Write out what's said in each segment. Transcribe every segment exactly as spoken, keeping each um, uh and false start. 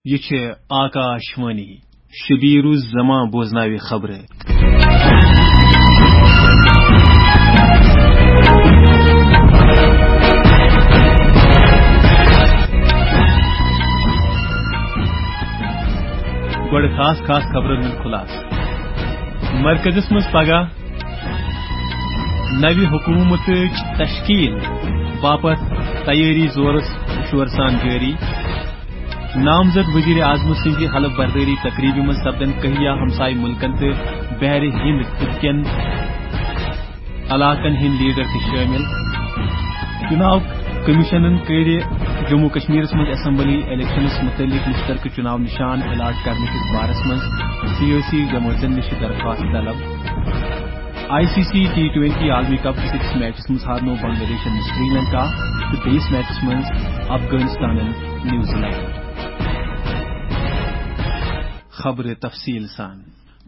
یہِ چھِ آکاش وانی۔ شبیر الزمان بوزناوِ خبرٕ۔ گۄڈٕ خاص خاص خبرن ہُنٛد خُلاصہٕ۔ مرکزس منٛز پگاہ نوِ حکومتٕچ تشکیل باپتھ تیٲری زورس شور سان جٲری۔ نامزد وزیر اعظم سٕنٛزِ حلف بردٲری تقریبہِ منٛز سپدن کہیا ہمسایہِ مُلکن تہٕ بحرِ ہند خطہٕ کٮ۪ن علاقن ہٕنٛدۍ لیڈر تہِ شٲمِل۔ چُناو کمیشنن کٔرۍ جموں کشمیرس منٛز اسمبلی الیکشنس مُتعلق مشترکہٕ چُناو نشان الاٹ کرنہٕ کِس بارس منٛز سیٲسی جمٲژن نِش درخواست طلب۔ I C C T twenty عالمی کپ کِس أکِس میچس منٛز ہارنوو بنگلہ دیشن سری لنکا تہٕ بیٚیِس میچس منٛز افغانستانن نیوزی لینڈ۔ خبرٕ تفصیل سان۔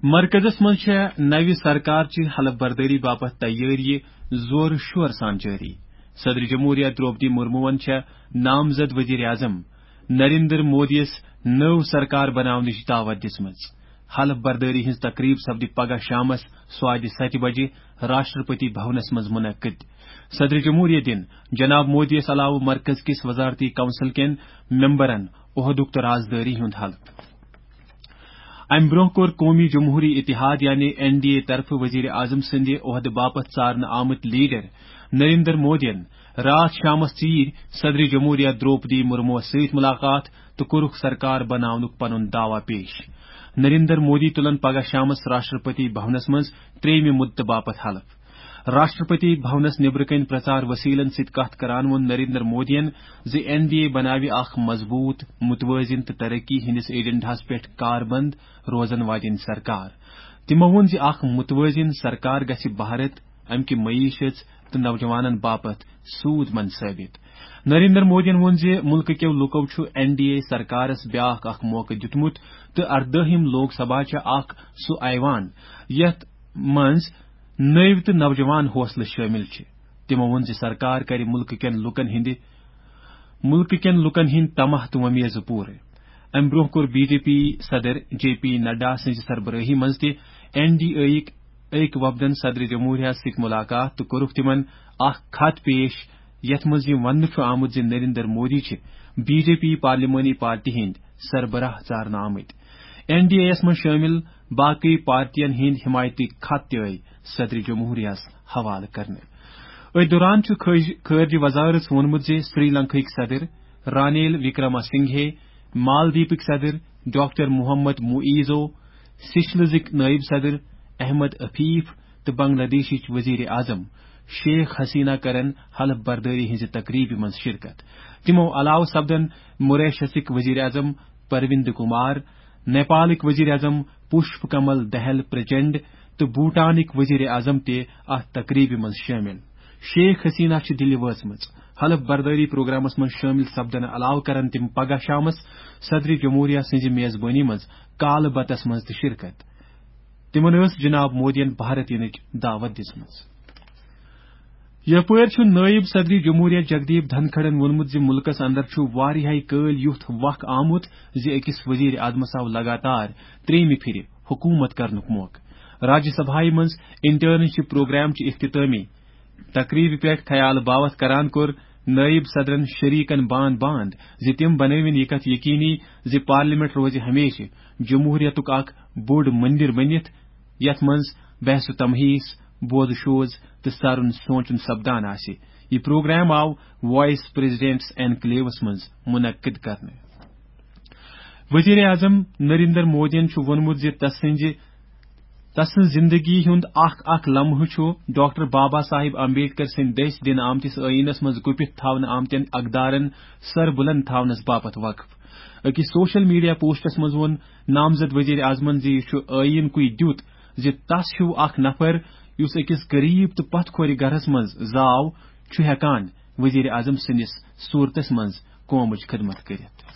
مرکزس منٛز چھےٚ نوِ سرکار چہِ حلف بردٲری باپتھ تیٲری زورٕ شور سان جٲری۔ صدر جمہوریہ درٛوپدی مرموہن چھےٚ نامزد وزیر اعظم نریندر مودیَس نٔو سرکار بناونٕچ دعوت دِژمٕژ۔ حلف بردٲری ہٕنٛز تقریب سپدِ پگاہ شامس سوادِ ستہِ بجہِ راشٹرپتی بھونس منٛز منعقد۔ صدر جمہوریہ دِن جناب مودیَس علاوٕ مرکز کِس وزارتی کونسل کٮ۪ن ممبرن عہدُک تہٕ رازدٲری ہُنٛد حلف۔ امہِ برونٛہہ کوٚر قومی جمہوری اتحاد یعنی این ڈی اے طرفہٕ وزیر اعظم سٕنٛدِ عہدٕ باپتھ ژارنہٕ آمٕتۍ لیڈر نریندر مودیَن راتھ شامس ژیٖرۍ صدر جمہوریہ درٛوپدی مرموہس سۭتۍ ملاقات تہٕ کوٚرُکھ سرکار بناونُک پنُن دعویٰ پیش۔ نریندر مودی تُلن پگاہ شامس راشٹرپتی بھونس منٛز ترٛیٚیمہِ مدتہٕ باپتھ حلف۔ راشٹرپتی بھونس نیبرٕ کنۍ پرچار وسیلن سۭتۍ کتھ کران ووٚن نریندر مودیَن زِ این ڈی اے بناوِ اکھ مضبوط، متوازن تہٕ ترقی ہٕنٛدِس ایجنڈاہس پٮ۪ٹھ کاربند روزن واجیٚنۍ سرکار۔ تِمو ووٚن زِ اکھ متوازن سرکار گژھِ بھارت، امہِ کہِ معیشت تہٕ نوجوانن باپتھ سود مند ثٲبت۔ نریندر مودیَن ووٚن زِ مُلکہٕ کٮ۪و لوٗکو چھُ این ڈی اے سرکارس بیٛاکھ اکھ موقعہٕ دیُتمُت تہٕ اردٲہِم لوک سبھا چھےٚ اکھ سُہ ایوان یتھ منٛز نٔوۍ تہٕ نوجوان حوصلہٕ شٲمِل چھِ۔ تِمو ووٚن زِ سرکار کرِ مُلکہٕ کٮ۪ن لوٗکن ہٕنٛدِ مُلکہٕ کٮ۪ن لوٗکن ہٕنٛدۍ طمع تہٕ وۄمیزٕ پوٗرٕ۔ امہِ برونٛہہ کوٚر بی جے پی صدر جے پی نڈا سٕنٛزِ سربرٲہی منٛز تہِ این ڈی اے یِک أکۍ وفدن صدر جمہوریہ سۭتۍ ملاقات تہٕ کوٚرُکھ تِمن اکھ خط پیش، یتھ منٛز یہِ وننہٕ چھُ آمُت زِ نریندر مودی چھِ بی جے پی پارلیمانی پارٹی ہٕنٛدۍ سربراہ ژارنہٕ آمٕتۍ۔ این ڈی اے یَس منٛز شٲمِل باقٕے پارٹین ہٕنٛدۍ حمایتٕکۍ خط تہِ آے صدر جمہوریہس حوالہٕ کرنہٕ۔ أتھۍ دوران چھُ خٲج-، خارجہ وزارت ووٚنمُت زِ سری لنکاہٕکۍ صدر رانیل وکرما سنگھے، مالدیپٕکۍ صدر ڈاکٹر محمد معیزو، سیشلزٕکۍ نائب صدر احمد عفیف تہٕ بنگلہ دیشٕچ وزیر اعظم شیخ حسینہ کرن حلف بردٲری ہٕنٛزِ تقریبہِ منٛز شرکت۔ تِمو علاوٕ سپدن موریشسٕکۍ وزیر اعظم پروند کمار، نیپالٕکۍ وزیر اعظم پشپ کمل دہل پرچنڈ تہٕ بھوٹانٕکۍ وزیر اعظم تہِ اتھ تقریبہِ منٛز شٲمِل۔ شیخ حسینہ چھِ دِلہِ وٲژمٕژ۔ حلف بردٲری پروگرامس منٛز شٲمِل سپدنہٕ علاوٕ کرن تِم پگاہ شامس صدر جمہوریہ سٕنٛزِ میزبٲنی منٛز کالہٕ بتس منٛز تہِ شرکت۔ تِمن ٲس جناب مودیَن بھارت یِنٕچ دعوت دِژمٕژ۔ یپٲرۍ چھُ نٲیِب صدر جمہوریہ جگدیپ دھنکھڑن ووٚنمُت زِ مُلکس اندر چھُ واریاہے کٲلۍ یُتھ وق آمُت زِ أکِس وزیر اعظمس آو لگاتار ترٛیٚیِمہِ پھِرِ حکوٗمت کرنُک موقعہٕ۔ راجیہ سبھایہ منٛز انٹرنشپ پروگرام چہِ اختتامی تقریبہِ پٮ۪ٹھ خیال باوتھ کران کوٚر نٲیِب صدرن شریکن باند باند زِ تِم بنٲوِن یہِ کتھ یقینی زِ پارلیمنٹ روزِ ہمیشہِ جمہوریتُک اکھ بوٚڑ مندر بٔنِتھ، یتھ منٛز بحث و تمہیس، بوز و شوز تہٕ سرُن سونچُن سپدان آسہِ۔ یہِ پروگرام آو وائس پریزیڈنٹس اینکلیوس منٛز منعقد کرنہٕ۔ وزیر اعظم نریندر مودیَن چھُ ووٚنمُت زِ تسٕنزِ، تسٕنز زندگی ہُند اکھ اکھ لمحہٕ چھُ ڈاکٹر بابا صاحب امبیڈکر سٕنٛدِ دٔسۍ دِنہٕ آمتِس ٲییٖنس منٛز گُپِتھ تھاونہٕ آمتٮ۪ن اقدارن سربلند تھاونس باپتھ وقف۔ أکِس سوشل میڈیا پوسٹس منٛز ووٚن نامزد وزیر اعظمن زِ یہِ چھُ ٲییٖن کُے دیُت زِ تس ہیوٗ اکھ نفر یُس أکِس غریب تہٕ پتھ کھورِ گرس منٛز زاو چھُ ہٮ۪کان وزیر اعظم سٕنٛدِس صوٗرتس منٛز قومٕچ خدمت کٔرِتھ۔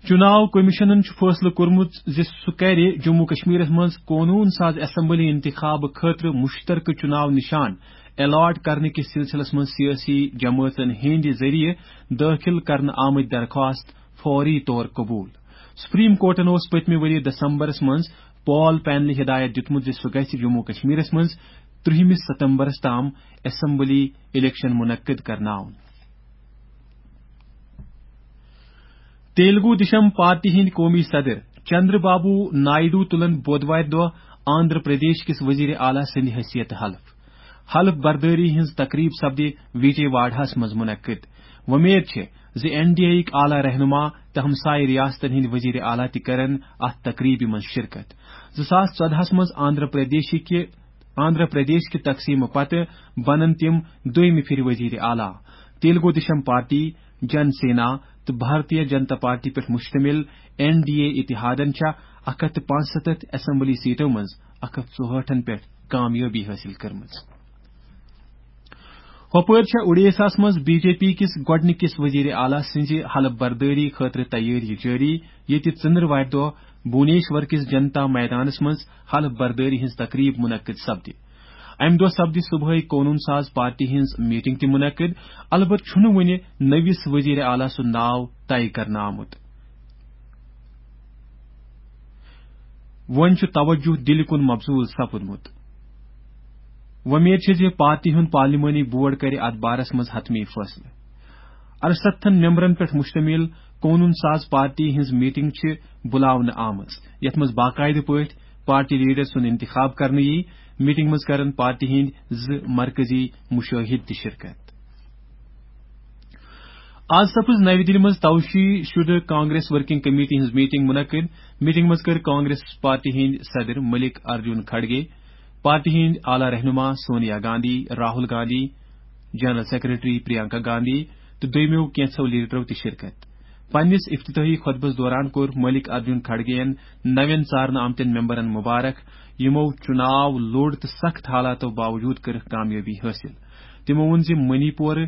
چُناو کمیشنن چھُ فٲصلہٕ کوٚرمُت زِ سُہ کَرِ جموں کشمیرس منٛز قونوٗن ساز اسمبلی انتخاب خٲطرٕ مُشترکہٕ چُناو نِشان الاٹ کرنہٕ کِس سلسلس منٛز سیٲسی جمٲژن ہٕنٛدِ ذٔریعہٕ دٲخل کرنہٕ آمٕتۍ درخواست فوری طور قبول۔ سپریم کورٹن اوس پٔتمہِ ؤری دسمبرس منٛز پال پینلہِ ہدایت دِیُتمُت زِ سُہ گژھِ جموں کشمیرس منٛز ترٛہمِس ستمبرس تام اسمبلی الیکشن منعقد کرناوُن۔ تیلگو دیشم پارٹی ہٕنٛدۍ قومی صدر چندر بابو نائیڈو تُلن بودوارِ دۄہ آندھرا پردیش کِس وزیر اعلیٰ سٕنٛدِ حیثیت حلف۔ حلف بردٲری ہٕنٛز تقریب سپدِ وجے واڑہس منٛز منعقد۔ وۄمید چھِ زِ این ڈی اے یِک اعلیٰ رہنما تہٕ ہمسایہِ ریاستن ہٕنٛدۍ وزیر اعلیٰ تہِ کرن اتھ تقریبہِ منٛز شرکت۔ زٕ ساس ژۄدہس منٛز آندھرا پردیشہِ کہِ، آندھرا پردیش کہِ تقسیمہٕ پتہٕ بنن تِم دوٚیمہِ پھِرِ وزیر اعلیٰ۔ تیلگو دیشم پارٹی، جن سینا تہٕ بھارتیہ جنتا پارٹی پٮ۪ٹھ مشتمل این ڈی اے اتحادن چھےٚ اکھ ہتھ تہٕ پانٛژستتھ اسمبلی سیٹو منٛز اکھ ہتھ ژُہٲٹھن پٮ۪ٹھ کامیٲبی حٲصِل کٔرمٕژ۔ ہۄپٲرۍ چھےٚ اُڈیساہس منٛز بی جے پی کِس گۄڈٕنِکِس وزیر اعلیٰ سٕنٛزِ حلف بردٲری خٲطرٕ تیٲری جٲری، ییٚتہِ ژٕنٛدٕروارِ دۄہ بھونیشور کِس جنتا میدانس منٛز حلف بردٲری ہٕنٛز تقریب منعقد سپدِ۔ امہِ دۄہ سپدِ صبحٲے قونوٗن ساز پارٹی ہٕنٛز میٹنگ تہِ منعقد۔ البتہٕ چھُنہٕ وُنہِ نٔوِس وزیر اعلیٰ سُنٛد ناو طے کرنہٕ آمُت۔ وۄنۍ چھُ توجہ دِلہِ کُن مبذول سپُدمُت۔ وۄمید چھِ زِ پارٹی ہُنٛد پارلیمانی بورڈ کرِ اتھ بارس منٛز حتمی فٲصلہٕ۔ ارستتھن ممبرن پٮ۪ٹھ مشتمل قونوٗن ساز پارٹی ہٕنٛز میٹنگ چھِ بُلاونہٕ آمٕژ، یتھ منٛز باقاعدٕ پٲٹھۍ پارٹی لیڈر سُنٛد انتخاب کرنہٕ یِیہِ۔ میٹنگ منٛز کرن پارٹی ہٕنٛدۍ زٕ مرکزی مشٲہد تہِ شرکت۔ آز سپٕز نَوِ دِلہِ منٛز توشی شُدٕ کانگریس ورکنگ کمیٹی ہٕنٛز میٹنگ منعقد۔ میٹنگ منٛز کٔر کانگریس پارٹی ہٕنٛدۍ صدر ملک ارجن کھڑگے، پارٹی ہٕنٛدۍ اعلیٰ رہنما سونیا گاندھی، راہل گاندھی، جنرل سیکرٹری پریانکا گاندھی تہٕ دوٚیمیو کینٛژھو لیڈرو تہِ شرکت۔ پننِس افتتاحی خطبس دوران کوٚر ملک ارجن کھڑگے ین نوٮ۪ن ژارنہٕ آمتٮ۪ن ممبرن مبارک، یِمو چُناو لوٚڑ تہٕ سخت حالاتو باوجود کٔرٕکھ کامیٲبی حٲصِل۔ تِمو ووٚن زِ منی پورٕ،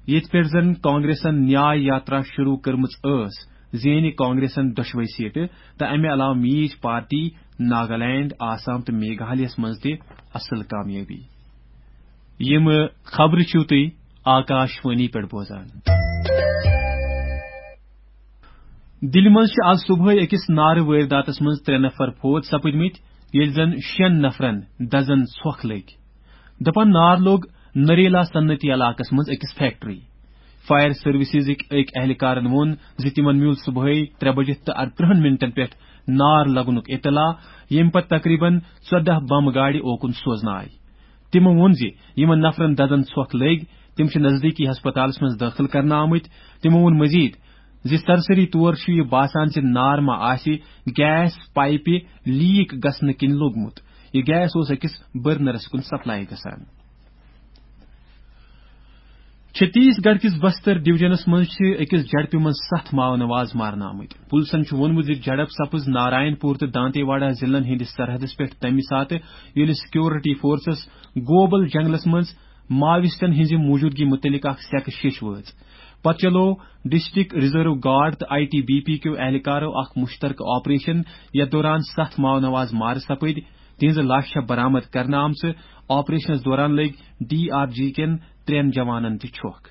ییٚتہِ پٮ۪ٹھ زن کانگریسن نیاے یاترا شروع کٔرمٕژ ٲس، زینہِ کانگریسن دۄشوے سیٹہٕ تہٕ امہِ علاوٕ میٖج پارٹی ناگالینڈ، آسام تہٕ میگھالیہس منٛز تہِ اصل کامیٲبی۔ یِم خبرٕ چھِو تُہۍ آکاش وانی پٮ۪ٹھ بوزان۔ دِلہِ منٛز چھِ آز صبحٲے أکِس نارٕ وٲرۍداتس منٛز ترٛےٚ نفر فوت سپٕدمٕتۍ، ییٚلہِ زن شٮ۪ن نفرن دزن ژھۄکھ لٔگۍ۔ دپان نار لوٚگ نریلا صنعتی علاقس منٛز أکِس فیکٹری۔ فائر سروسزٕکۍ أکۍ اہلکارن ووٚن زِ تِمن میوٗل صبحٲے ترٛےٚ بجہِ تہٕ اَرترٕٛہن منٹن پٮ۪ٹھ نار لگنُک اطلاع، ییٚمہِ پتہٕ تقریباً ژۄدہ بم گاڑِ اوکُن سوزنہٕ آیہِ۔ تِمو ووٚن زِ یِمن نفرن دزن ژھۄکھ لٔگۍ، تِم چھِ نزدیٖکی ہسپتالس منٛز دٲخل کرنہٕ آمٕتۍ۔ تِمو ووٚن مزید زِ سرسری طور چھُ یہِ باسان زِ نار ما آسہِ گیس پائپہِ لیک گژھنہٕ کِنۍ لوٚگمُت۔ یہِ گیس اوس أکِس برنرس کُن سپلائی گژھان۔ چھتیس گڑھ کِس بستر ڈویژنس منٛز چھِ أکِس جھڑپہِ منٛز ستھ ماؤ نواز مارنہٕ آمٕتۍ۔ پُلسن چھُ ووٚنمُت زِ جھڑپ سپٕز نارائن پور تہٕ دانتے واڑہ ضلعن ہٕنٛدِس سرحدس پٮ۪ٹھ تَمہِ ساتہٕ، ییٚلہِ سیکورٹی فورسز گوبل جنگلس منٛز ماویسٹن ہٕنٛزِ موٗجوٗدگی مُتعلق اکھ سیکہٕ شیٚش وٲژ۔ پتہٕ چلوو ڈسٹرکٹ ریزرو گارڈ تہٕ آئی ٹی بی پی کیو اہلکارو اکھ مشترکہٕ آپریشن، یتھ دوران ستھ ماؤ نواز مارٕ سپٕدۍ۔ تِہنٛزٕ لاشہٕ چھےٚ برآمد کرنہٕ آمژٕ۔ آپریشنس دوران لٔگۍ ڈی آر جی کٮ۪ن ترٛٮ۪ن جوانن تہِ چھۄکھ۔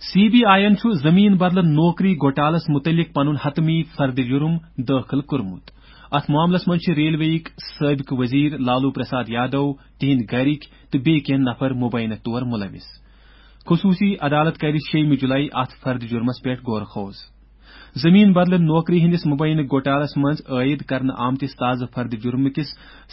سی بی آئی یَن چھُ زٔمیٖن بدلہٕ نوکری گوٹالس مُتعلِق پنُن حتمی فرد جُرم دٲخل کوٚرمُت۔ اَتھ معاملس منٛز چھِ ریلوے یِکۍ سٲبقہٕ وزیر لالو پرساد یادو، تِہنٛدۍ گرِکۍ تہٕ بیٚیہِ کینٛہہ نفر مبینہ طور ملوث۔ خصوٗصی عدالت کَرِ شیٚیِمہِ جُلای اَتھ فرد جُرمس پٮ۪ٹھ غور خوض۔ زٔمیٖن بدلہٕ نوکری ہٕنٛدِس مبینہ گوٹالس منٛز عٲید کرنہٕ آمتِس تازٕ فرد جُرمہٕ کِس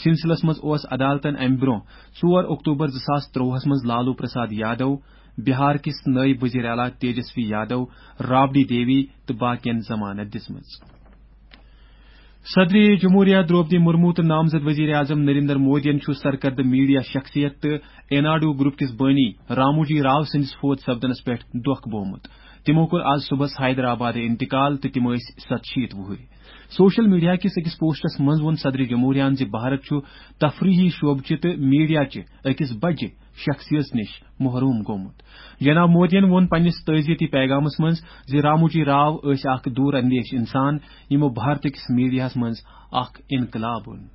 سلسلس منٛز اوس عدالتن اَمہِ برٛونٛہہ، ژور اکتوبر زٕ ساس ترٛۆہَس منٛز لالو پرساد یادو، بہار کِس نٲیِب وزیر اعلیٰ تیجسوی یادو، رابڑی دیوی تہٕ باقین ضمانت دِژمٕژ۔ صدر جمہوریہ درٛوپدی مرمو تہٕ نامزد وزیر اعظم نریندر مودیَن چھُ سرکردٕ میڈیا شخصیت تہٕ ایناڈو گروپ کِس بٲنی راموجی راو سٕنٛدِس فوت سپدنس پٮ۪ٹھ دۄکھ بوومُت۔ تِمو کوٚر آز صبحس حیدرآبادٕ انتقال تہٕ تِم ٲسۍ ستشیٖتھ وُہٕرۍ۔ سوشل میڈیا کِس أکِس پوسٹس منٛز ووٚن صدر جمہوریہَن زِ بھارت چھُ تفریحی شعبہٕ چہِ تہٕ میڈیا چہِ أکِس بجہِ شخصیت نِش محروم گوٚمُت۔ جناب مودیَن ووٚن پننِس تعزیتی پیغامس منٛز زِ راموجی راو ٲسۍ اکھ دوٗر اندیش انسان، یِمو بھارت کِس میڈیاہَس منٛز اکھ انقلاب اوٚن۔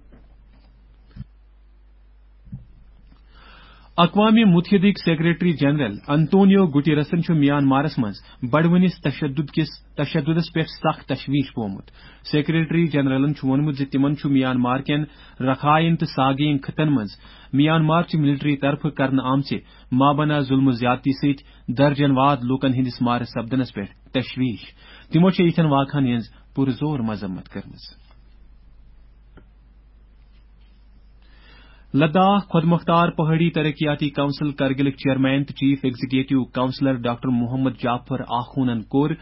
اقوام متحدٕکۍ سیکرٹری جنرل انتونیو گٹیرسن چھُ میانمارس منٛز بڑوٕنِس تشدد کِس تشددس پٮ۪ٹھ سخ تشویش بومُت۔ سیکرٹری جنرلن چھُ ووٚنمُت زِ تِمن چھُ میانمار کٮ۪ن رکھاین تہٕ ساگین خطن منٛز میانمار چہِ ملٹری طرفہٕ کرنہٕ آمژِ مابنا ظلمہٕ زیادتی سۭتۍ درجن واد لوٗکن ہٕنٛدِس مارٕ سپدنس پٮ۪ٹھ تشویش۔ تِمو چھےٚ یِتھٮ۪ن واقعن ہٕنٛز پُرزور مذمت کٔرمٕژ۔ لداخ خود مختار پہاڑی ترقیاتی کونسل کرگلٕکۍ چیئرمین تہٕ chief executive councillor doctor Mohammad Jaffar آخونن کوٚر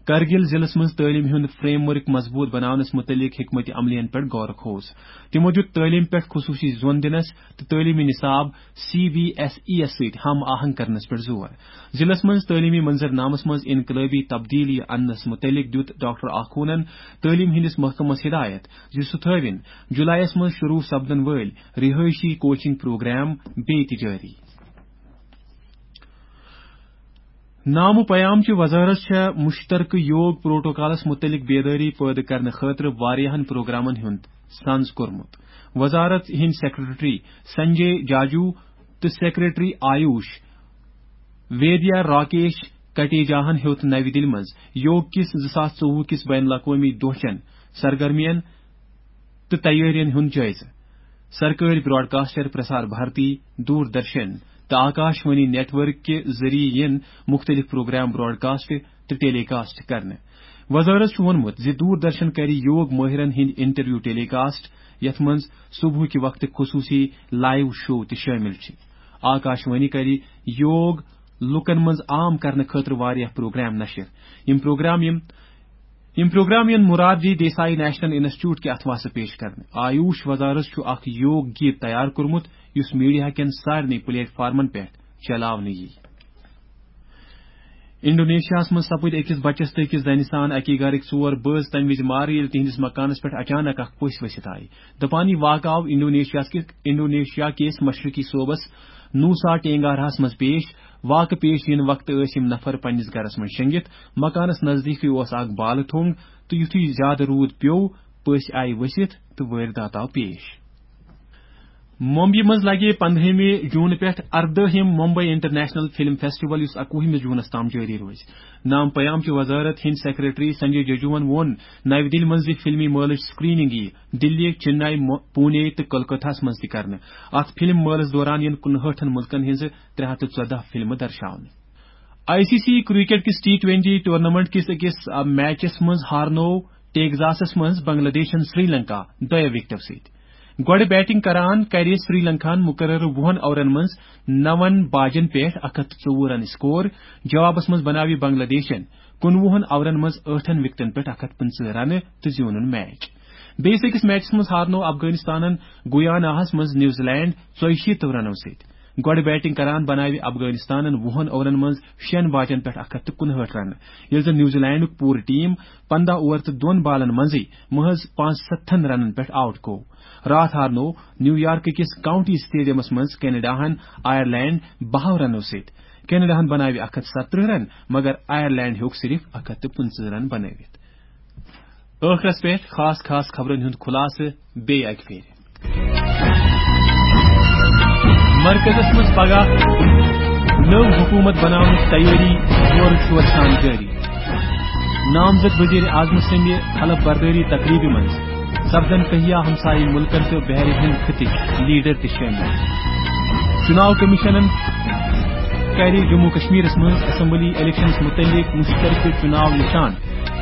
کرگل ضلعس منٛز تعلیمہِ ہُنٛد فریم ورک مضبوط بناونس متعلق حکمت عملین پٮ۪ٹھ غور و خوض۔ تِمو دیُت تعلیمہِ پٮ۪ٹھ خصوصی زون دِنس تہٕ تعلیمی نصاب سی بی ایس ای یس سۭتۍ ہم آہنگ کرنس پٮ۪ٹھ زور۔ ضلعس منٛز تعلیمی منظرنامس منٛز انقلٲبی تبدیلی اننس متعلق دیُت ڈاکٹر آخونن تعلیمہِ ہٕنٛدِس محکمس ہدایت زِ سُہ تھٲوِن جولائیس منٛز شروع سپدن وٲلۍ رہٲیشی کوچنگ پروگرام بیٚیہِ تہِ جٲری۔ نامہٕ پیام چہِ وزارت چھےٚ مشترکہٕ یوگ پروٹوکالس متعلق بیدٲری پٲدٕ کرنہٕ خٲطرٕ واریاہن پروگرامن ہُنٛد سنز کوٚرمُت۔ وزارت ہٕنٛدۍ سیکرٹری سنجے جاجو تہٕ سیکرٹری آیوش ویدیا راکیش کٹیجاہن ہیوٚت نوِ دِلہِ منٛز یوگ کِس زٕ ساس ژوٚوُہ کِس بین الاقوٲمی دۄہ چٮ۪ن سرگرمین تہٕ تیٲرین ہُنٛد جٲیزٕ۔ سرکٲرۍ براڈکاسٹر پرسار بھارتی، دوردرشن تہٕ آکاش وانی نیٹ ورک کہِ ذٔریعہٕ یِن مُختٔلِف پروگرام براڈکاسٹ تہٕ ٹیلی کاسٹ کرنہٕ۔ وزارت چھُ ووٚنمُت زِ دوردرشن کرِ یوگ مٲہرن ہٕنٛدۍ انٹرویو ٹیلی کاسٹ، یتھ منٛز صبحٕکہِ وقتہٕ خصوصی لائیو شو تہِ شٲمِل چھِ۔ آکاش وانی کرِ یوگ لوٗکن منٛز عام کرنہٕ خٲطرٕ واریاہ پروگرام نشر۔ یِم پروگرام یِم یِم پروگرام یِن مرارجی دیسائی نیشنل انسٹیٹیوٹ کہِ اتھواسہٕ پیش کرنہٕ۔ آیوش وزارت چھُ اکھ یوگ گیت تیار کوٚرمُت یُس میڈیا کٮ۪ن سارنٕے پلیٹ فارمن پٮ۪ٹھ چلاونہٕ یِیہِ۔ انڈونیشیاہس منٛز سپٕدۍ أکِس بچس تہٕ أکِس زنہِ سان اکی گرٕکۍ ژور بٲژ تمہِ وِزِ مارٕ ییٚلہِ تِہنٛدِس مکانس پٮ۪ٹھ اچانک اکھ پٔژھۍ ؤسِتھ آیہِ۔ دپان یہِ واقعہٕ آو انڈونیشیا کِس، انڈونیشیا کِس مشرقی صوبس نوسا ٹینگارہس منٛز پیش۔ واقعہٕ پیش یِنہٕ وقتہٕ ٲسۍ یِم نفر پننِس گرس منٛز شٔنگِتھ۔ مکانس نزدیٖکٕے اوس اکھ بالہٕ تھوٚنگ تہٕ یُتھُے زیادٕ روٗد پیوٚو، پٔژھۍ آیہِ ؤسِتھ تہٕ وٲرۍدات آو پیش۔ ممبیہِ منٛز لگہِ پندہٲمہِ جوٗن پٮ۪ٹھ اردٲہِم ممبئی انٹرنیشنل فلم فیسٹیول، یُس اکوُہمِس جوٗنس تام جٲری روزِ۔ نام پیام چہِ وزارت ہٕنٛدۍ سیکرٹری سنجے ججوہن ووٚن نوِ دِلہِ منٛز زِ فلمی مٲلٕچ سکریننگ یِیہِ دِلہِ، چنئی، مو-، پونے تہٕ کولکتہس منٛز تہِ کرنہٕ۔ اتھ فلم مٲلس دوران یِن کُنہٲٹھن مُلکن ہٕنٛزٕ ترٛےٚ ہتھ تہٕ ژۄداہ فلمہٕ درشاونہٕ۔ آئی سی سی کرکٹ کِس ٹی ٹوینٹی ٹورنامنٹ کِس أکِس، آ، میچس منٛز ہارنوو ٹیگزاسس منٛز بنگلہ دیشن سری لنکا دۄیو وکٹو سۭتۍ۔ گۄڈٕ بیٹنگ کران کرِ سری لنکاہن مقررٕ وُہن اورن منٛز نون باجن پٮ۪ٹھ اکھ ہتھ تہٕ ژوٚوُہ رنہٕ سکور۔ جوابس منٛز بناوِ بنگلہ دیشن کُنوُہن اورن منٛز ٲٹھن وکٹن پٮ۪ٹھ اکھ ہتھ پٕنٛژٕہ رنہٕ تہٕ زیوٗنُن میچ۔ بیٚیِس أکِس میچس منٛز ہارنوو افغانستانن گویاناہس منٛز نیوزی لینڈ ژۄیہِ شیٖتو رنو سۭتۍ۔ گۄڈٕ بیٹنگ کران بناوِ افغانستانن وُہن اورن منٛز شٮ۪ن باجن پٮ۪ٹھ اکھ ہتھ تہٕ کُنہٲٹھ رنہٕ، ییٚلہِ زن نیوزی لینڈُک پوٗرٕ ٹیم پنداہ اوور تہٕ دۄن بالن منٛزٕے محض پانٛژستتھن رنن پٮ۪ٹھ آؤٹ گوٚو۔ راتھ ہارنوو نیویارک کِس کاؤنٹی اسٹیڈیمس منٛز کینیڈاہن آیرلینڈ بہو رنو سۭتۍ۔ کینیڈاہن بناوِ اکھ ہتھ ستترٕہ رن، مگر آیرلینڈ ہیوٚک صرف اکھ ہتھ تہٕ پٕنٛژٕہ رن بنٲوِتھ۔ ٲخرس پٮ۪ٹھ خاص خاص خبرن ہُنٛد خلاصہٕ بیٚیہِ اکہِ پھِرِ۔ مرکزس منٛز پگاہ نٔو حکومت بناونٕچ تیٲری زورٕ شورٕ سان جٲری۔ نامزد وزیر اعظم سٕنٛدِ حلف بردٲری تقریبہِ منٛز سپدن تہیا ہمسایہِ مُلکن تہٕ بحر ہند خطٕکۍ لیڈر تہِ شٲمِل۔ چُناو کمیشنن کرِ جموں کشمیرس منٛز اسمبلی الیکشنس متعلق مشترکہٕ چُناو نشان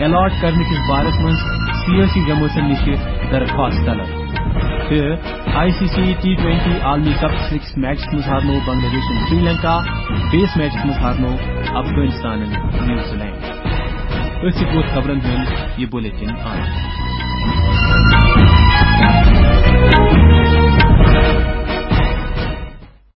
الاٹ کرنہٕ کِس بارس منٛز سیٲسی جمٲژن نِش درخواست طلب۔ تہٕ I C C T twenty عالمی کپ کِس أکِس میچس منٛز ہارنوو بنگلہ دیشن سری لنکا، بیٚیِس میچس منٛز ہارنوو افغانستانن نیوزی لینڈ۔ أتھۍ سۭتۍ ووت خبرن ہُنٛد یہِ بلیٹن آخر۔